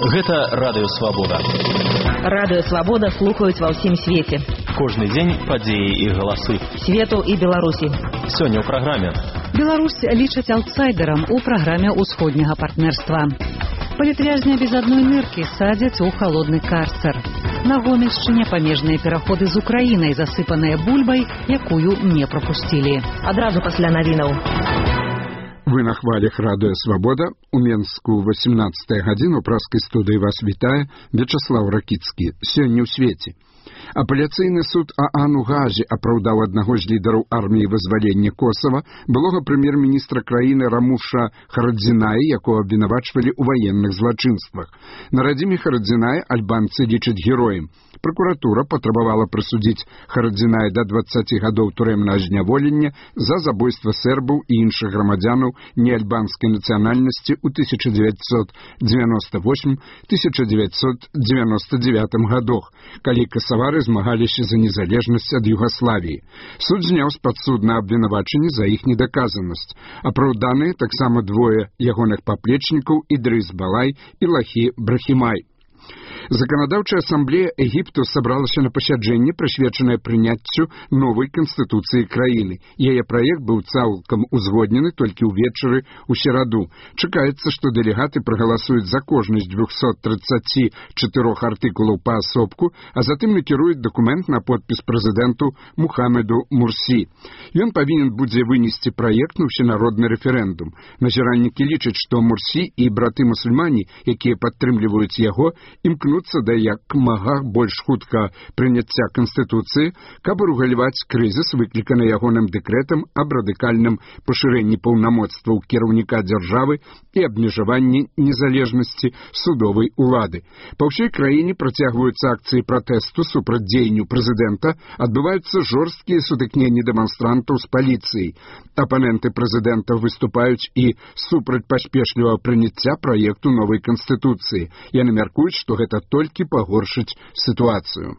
Гэта Радыё Свабода. Радыё Свабода слухаюць ва ўсім свеце. Кожны дзень падзеі і галасы Свету і Беларусі. Сёння ў праграме. Беларусь лічаць аўтсайдерам у праграме ўсходняга партнерства. Палітвязня без адной ныркі садзяць у халодны карцер. На Гомельшчыне памежныя пераходы з Украінай, засыпаныя бульбай, якую не прапусцілі. Адразу пасля навінаў. Вы на хвалях Радыё Свабода. У Менску 18 гадзіну праскай студыі вас вітае Вячаслаў Ракіцкі. Сёння ў свеце. Апеляцыйны суд ААН у Газе апраўдаў аднаго з лідараў арміі вызвалення Косава, былога прэм'ер-міністра краіны Рамуша Харадзіная, якого абвінавачвалі ў ваенных злачынствах. На радзіме Харадзіная альбанцы лічаць героем. Пракуратура патрабавала прысудзіць Харадзіная да 20 гадоў турэмнага зняволення за забойства сербаў і іншых грамадзянаў неальбанскай нацыянальнасці ў 1998-1999 гадах, калі касавары змагаліся за незалежнасць ад Югаславіі. Суд зняў з падсуднага абвінавачанні за іх недаказанасць. Апраўданыя таксама двое ягоных паплечнікаў Ідрыс Балай і Лахі Брахімай. Заканадаўчая асамблея Егіпту сабралася на пасяджэнне, прысвечанае прыняццю новай канстытуцыі краіны. Яе праект быў цалкам узгоднены толькі ўвечары ў сераду. Чакаецца, што дэлегаты прагаласуюць за кожны з 234 артыкулаў паасобку, а затым накіруюць дакумент на подпіс прэзідэнту Мухаммеду Мурсі. Ён павінен будзе вынесці праект на ўсенародны рэферэндум. Назіральнікі лічаць, што Мурсі і браты-мусульмане, якія падтрымліваюць яго, імкнуцца да як мага больш хутка прыняцця Канстытуцыі, каб урэгуляваць крызіс, выкліканы ягоным дэкрэтам аб радыкальным пашырэнні паўнамоцтваў кіраўніка дзяржавы і абмежаванні незалежнасці судовай улады. Па ўсёй краіне працягваюцца акцыі пратэсту супраць дзеянню прэзідэнта, адбываюцца жорсткія сутыкненні дэманстрантаў з паліцыяй. Апаненты прэзідэнта выступаюць і супраць паспешлівага прыняцця праекту новай Канстытуцыі. Яны мяркуюць, што гэта толькі пагоршыць сітуацыю.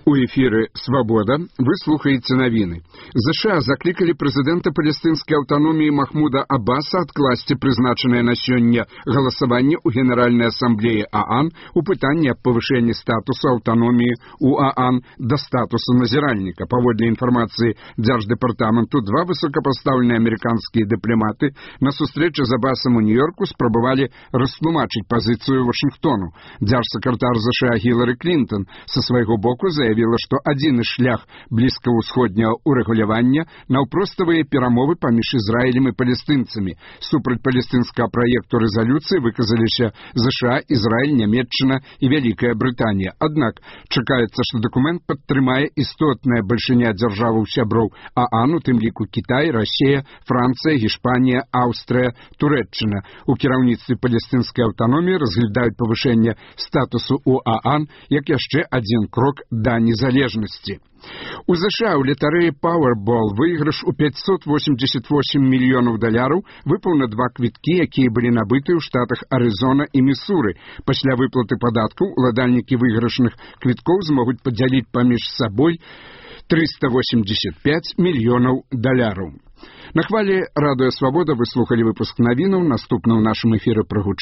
У эфіры «Свабода» вы слухаеце навіны. ЗША заклікалі прэзідэнта палестынскай аўтаноміі Махмуда Аббаса адкласці прызначанае на сёння галасаванне ў Генеральнай асамблеі ААН у пытанні аб павышэнні статусу аўтаноміі ў ААН да статусу назіральніка. Паводле інфармацыі Дзярждэпартаменту, два высокапастаўленыя амерыканскія дыпламаты на сустрэчы з Аббасам у Нью-Йорку спрабавалі растлумачыць пазіцыю Вашынгтону. Дзяржсакратар ЗША Гілары Клінтон са свайго боку заявіла, што адзіны шлях блізкаўсходняга урэгулявання наўпроставыя перамовы паміж Ізраілем і палестынцамі. Супраць палестынскага праекту рэзалюцыі выказаліся ЗША, Ізраіль, Нямецчына і Вялікая Брытанія. Аднак чакаецца, што дакумент падтрымае істотная бальшыня дзяржаваў сяброў ААН, у тым ліку Кітай, Расія, Францыя, Гішпанія, Аўстрыя, Турэччына. У кіраўніцтве палестынскай аўтаноміі разглядаюць павышэнне статусу ў ААН як яшчэ адзін крок да незалежнасці. У ЗША ў латарэі Powerball выйгрыш у $588 мільёнаў выпаў на два квіткі, якія былі набыты ў штатах Арызона і Місуры. Пасля выплаты падаткаў уладальнікі выйгрышных квіткоў змогуць падзяліць паміж сабой $385 мільёнаў. На хвалі Радыё Свабода вы слухалі выпуск навінаў. Наступна ў нашым эфіры прагучыць